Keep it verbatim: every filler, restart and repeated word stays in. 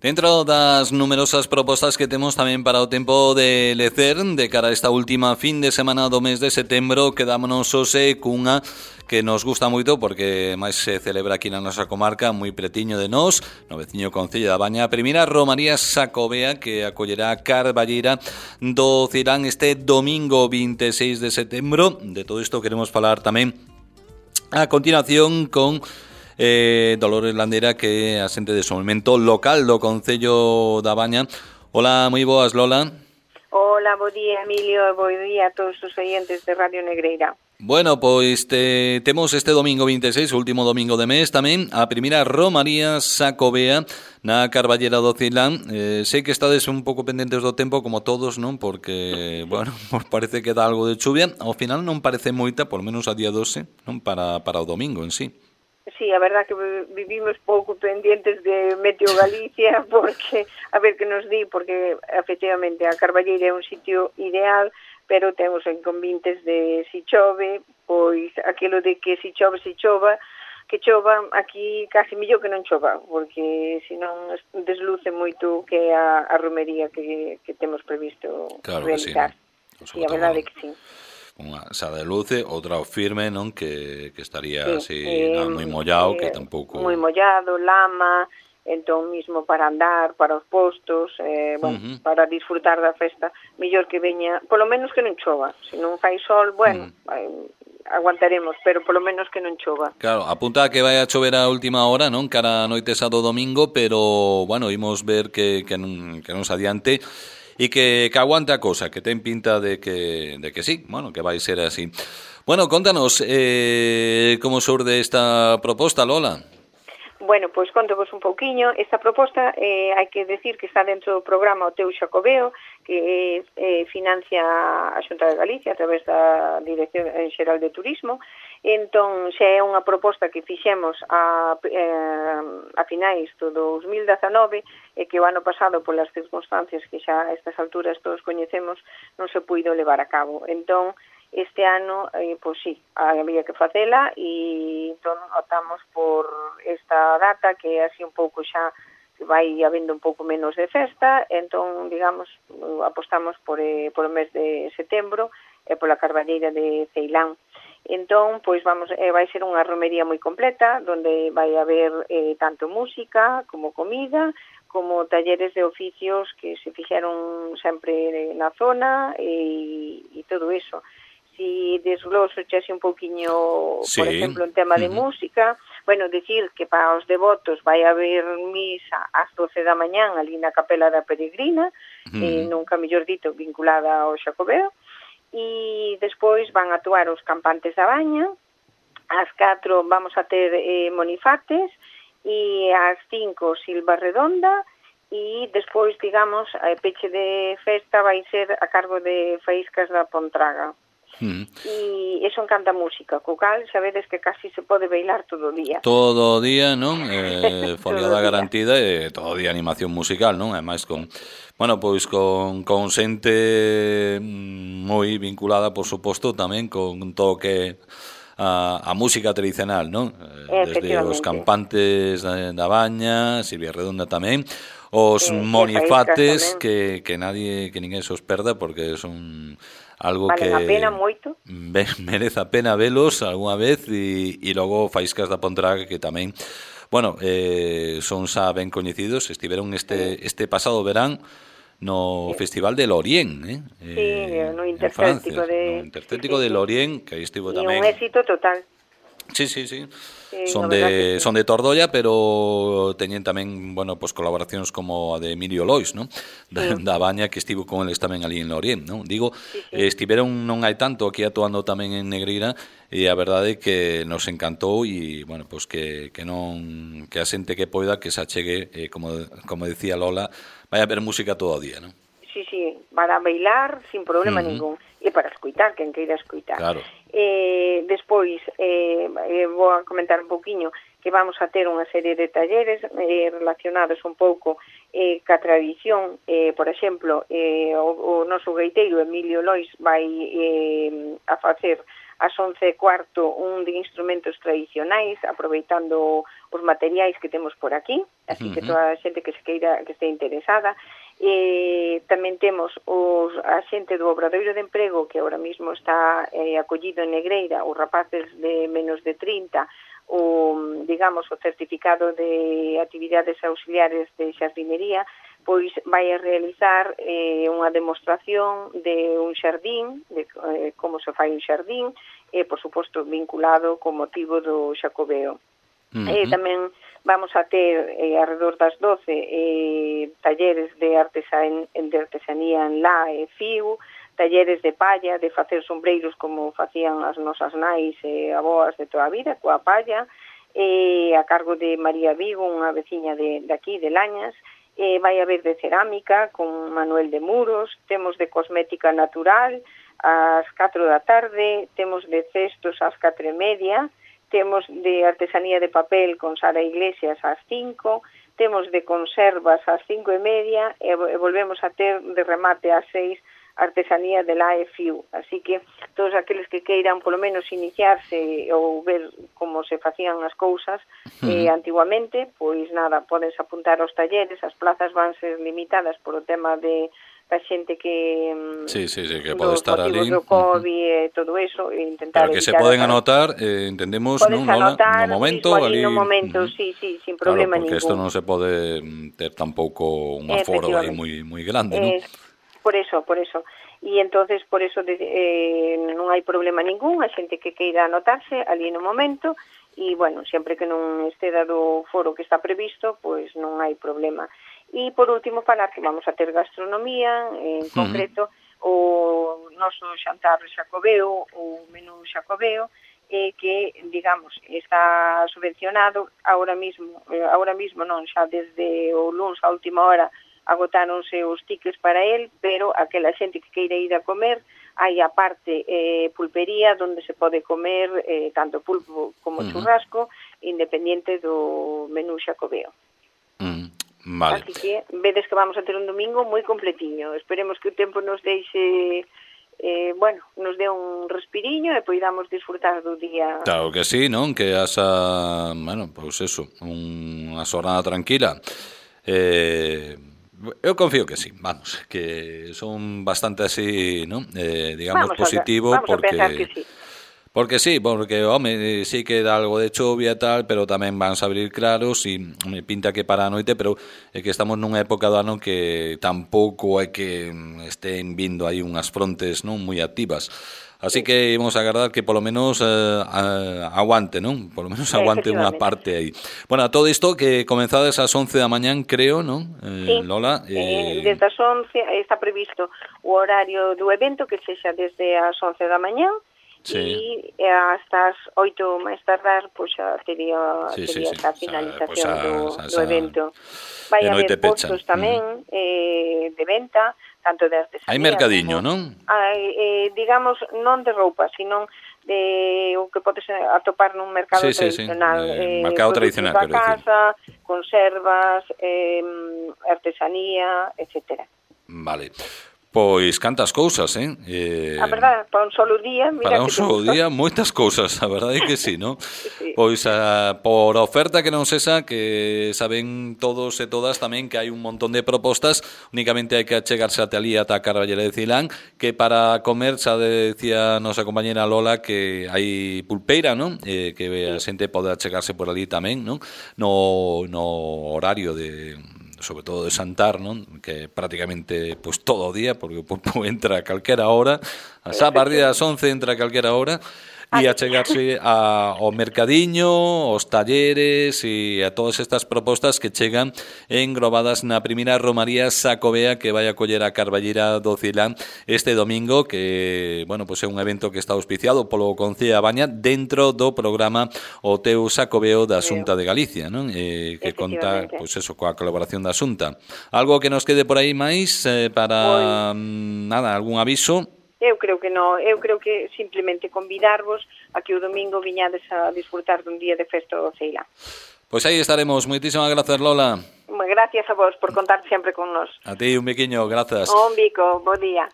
Dentro das numerosas propostas que temos tamén para o tempo de lecer, de cara a esta última fin de semana do mes de setembro, quedámonos hoxe cunha que nos gusta moito porque máis se celebra aquí na nosa comarca, moi pretiño de nós, no veciño concello da Baña, a primeira Romaría Xacobea, que acollerá a Carballeira do Cirán este domingo vinte e seis de setembro. De todo isto queremos falar tamén a continuación con Eh, Dolores Landera, que é asente de desenvolvemento local do Concello da Baña. Hola, moi boas, Lola. Hola, bo día, Emilio, e bo día a todos os oyentes de Radio Negreira. Bueno, pois te, temos este domingo vinte e seis, o último domingo de mes tamén, a primeira Romaría Xacobea na Carballera do Cilán. Eh, sei que estades un pouco pendentes do tempo, como todos, non? Porque, bueno, parece que dá algo de chuvia. Ao final non parece moita, por menos a día doce, non? Para, para o domingo en sí. Sí, a verdad que vivimos pouco pendientes de Meteo Galicia, porque, a ver que nos di, porque efectivamente a Carballeira é un sitio ideal, pero temos inconvenientes de si chove, pois aquilo de que si chove, si chova, que chova, aquí casi millor que non chova, porque senón desluce moito que a, a romería que, que temos previsto claro realizar. Que sí, sí, a verdade que sí. Unha xa de luce, outra o firme, non? Que, que estaría así, sí, eh, non, moi mollado, eh, que tampouco... Moi mollado, lama, entón mismo para andar, para os postos, eh, bueno, uh-huh. para disfrutar da festa, mellor que veña, polo menos que non chova. Se non fai sol, bueno, uh-huh. aguantaremos, pero polo menos que non chova. Claro, apunta que vai a chover a última hora, non? Cara a noite sábado domingo, pero, bueno, imos ver que, que, non, que non se adiante e que, que aguante a cosa, que ten pinta de que, de que sí, bueno, que vai ser así. Bueno, contanos, eh, como surde esta proposta, Lola? Bueno, pois contovos un pouquiño. Esta proposta, eh, hai que decir que está dentro do programa O Teu Xacobeo, que eh, financia a Xunta de Galicia a través da Dirección Xeral de Turismo. Entón, xa é unha proposta que fixemos a, eh, a finais do dos mil dezanove e que o ano pasado, polas circunstancias que xa a estas alturas todos coñecemos, non se puido levar a cabo. Entón, este ano, eh, pois sí, había que facela e entón optamos por esta data que é así un pouco xa vai habendo un pouco menos de festa, entón, digamos, apostamos por, eh, por o mes de setembro e pola Carballeira de Ceilán. Entón, pois vamos, eh, vai ser unha romería moi completa, donde vai haber eh, tanto música como comida, como talleres de oficios que se fixeron sempre na zona e, e todo eso. Si desgloso chase un pouquiño, sí. Por exemplo, en tema de uh-huh. música, bueno, decir que para os devotos vai haber misa ás doce da mañán ali na Capela da Peregrina, uh-huh. eh, nunca mellor dito, vinculada ao Xacobeo, e despois van a actuar os campantes da Baña, ás catro vamos a ter eh, monifates, e ás cinco Silva Redonda, e despois, digamos, a peche de festa vai ser a cargo de Faíscas da Pontraga. Mm. E eso encanta música, co cal sabedes que casi se pode bailar todo o día. Todo o día, non? Eh, foliada garantida e todo o día animación musical, non? Ademais con, bueno, pois con, con xente moi vinculada, por suposto, tamén con todo o que a, a música tradicional, non? Eh, desde os campantes da, da Baña, Silvia Redonda tamén, os eh, monifates que, que nadie, que ninguén se os perda porque son algo vale que a pena moito. Merece a pena velos algunha vez e, e logo Faíscas da Pontraga que tamén, bueno, eh, son xa ben coñecidos, estiveron este este pasado verán no sí. Festival de Lorient, eh? Sí, eh, no Intercéltico de no Intercéltico sí, sí, de Lorient, que aí estivo tamén. E un éxito total. Sí, sí, sí. Sí, son de sí. son de Tordolla, pero teñen tamén, bueno, pues colaboracións como a de Emilio Lois, ¿no? Da, sí. da Baña, que estivo con eles tamén ali en Lorient, ¿no? Digo, sí, sí. estiveron non hai tanto aquí actuando tamén en Negreira e a verdade é que nos encantou e, bueno, pues que, que non que a xente que poida que se achegue, eh, como, como decía Lola, vai a haber música todo o día, ¿no? Sí, sí, para bailar sin problema uh-huh. ningún e para escuitar, quen queira escuitar. Claro. Eh, despois, eh, eh, vou a comentar un pouquiño que vamos a ter unha serie de talleres eh, relacionados un pouco eh, ca tradición. Eh, por exemplo, eh, o, o noso gaiteiro Emilio Lois vai eh, a facer ás once e cuarto un de instrumentos tradicionais, aproveitando os materiais que temos por aquí, así que toda a xente que se queira, que este interesada. E tamén temos os, a xente do Obradoiro de Emprego, que ahora mismo está eh, acollido en Negreira, os rapaces de menos de trinta, o, digamos, o certificado de actividades auxiliares de xardinería, pois vai a realizar eh, unha demostración de un xardín, de eh, como se fai un xardín, e, por suposto, vinculado co motivo do Xacobeo. Uh-huh. E tamén vamos a ter, eh, alrededor das doce, eh, talleres de, artesan, de artesanía en lá e fío, talleres de palla, de facer sombreiros como facían as nosas nais e aboas de toda a vida, coa palla, e a cargo de María Vigo, unha veciña de, de aquí, de Lañas. Eh, vai haber de cerámica con Manuel de Muros, temos de cosmética natural ás catro da tarde, temos de cestos ás catro e media, temos de artesanía de papel con Sara Iglesias ás cinco, temos de conservas ás cinco e media e, e volvemos a ter de remate ás seis artesanía de la E F I U. Así que todos aqueles que queiran polo menos iniciarse ou ver como se facían as cousas eh, antiguamente, pois nada, podense apuntar aos talleres, as plazas van ser limitadas por o tema de da xente que sí, sí, sí, que pode estar ali do COVID uh-huh. e todo eso, e intentar pero que se poden anotar, eh, entendemos, non, Lola, no momento, ali no momento, uh-huh. sí, sí, sin problema claro, porque ningún. Porque isto non se pode ter tampouco un aforo aí moi moi grande, non? Por eso, por eso. E entonces por eso de, eh, non hai problema ningún, a xente que queira anotarse ali no momento, e, bueno, sempre que non estea do foro que está previsto, pois non hai problema. E, por último, falar que vamos a ter gastronomía, en uh-huh. concreto, o noso xantar xacobeo, o menú xacobeo, eh, que, digamos, está subvencionado ahora mismo, eh, ahora mismo non, xa desde o luns a última hora, agotáronse os tickets para él, pero aquela xente que queira ir a comer, hai a parte eh, pulpería, onde se pode comer eh, tanto pulpo como uh-huh. churrasco, independiente do menú xacobeo. Uh-huh. Vale. Así que vedes que vamos a ter un domingo moi completiño. Esperemos que o tempo nos deixe, eh, bueno, nos dé un respiriño e poidamos disfrutar do día. Claro que sí, non? Que asa, bueno, pois pues eso, unha xornada tranquila. Eh... Eu confío que sí, vamos, que son bastante así, ¿no? Eh, digamos, vamos positivo, a, vamos porque... a pensar que sí. Porque sí, porque, home, sí que dá algo de chovia e tal, pero tamén van a abrir claros e me pinta que para a noite, pero é que estamos nunha época do ano que tampouco é que estén vindo aí unhas frontes non moi activas. Así que íbamos a agardar que polo menos eh, aguante, non? Polo menos aguante unha parte aí. Bueno, a todo isto que comenzades ás once da mañán, creo, non? Eh, sí, Lola. Eh... Eh, desde as once está previsto o horario do evento, que sexa desde as once da mañán, sí. E hasta as oito máis tardar, pois xa tería, sí, tería sí, esa sí. finalización o sea, do, esa, do evento. Vai haber postos tamén uh-huh. eh, de venta, tanto de artesanía. Hai mercadiño, como, non? Hai, eh, digamos, non de roupa, sino de o que podes atopar nun mercado sí, tradicional. Sí, sí. Eh, mercado tradicional, quero casa, decir. Conservas, eh, artesanía, etcétera. Vale. Pois cantas cousas, eh? eh a verdade, para un solo día, mira para un solo día, moitas cousas, a verdade é que sí, non? Sí. Pois a, por oferta que non cesa, que saben todos e todas tamén que hai un montón de propostas, únicamente hai que achegarse ata ali, ata a Carballera de Cilán, que para comer, xa decía a nosa compañera Lola, que hai pulpeira, non? Eh, que a xente pode achegarse por ali tamén, non? No, no horario de... sobre todo de xantar, non? Que prácticamente pues, todo o día, porque o pulpo entra a calquera hora, a xa a partir das once entra a calquera hora, e a chegarse a, ao mercadiño, aos talleres e a todas estas propostas que chegan englobadas na primeira romaría xacobea que vai a coller a Carballera do Cilán este domingo, que, bueno, pues é un evento que está auspiciado polo Concello da Baña dentro do programa O Teu Xacobeo da Xunta de Galicia, non? Eh, que conta, pois pues eso, coa colaboración da Xunta. Algo que nos quede por aí máis eh, para, pues, nada, algún aviso? Eu creo que non, eu creo que simplemente convidarvos a que o domingo viñades a disfrutar dun día de festa do Ceilán. Pois aí estaremos. Moitísimas grazas, Lola. Gracias a vos por contar sempre con nós. A ti un biquiño, grazas. Un bico, bo día.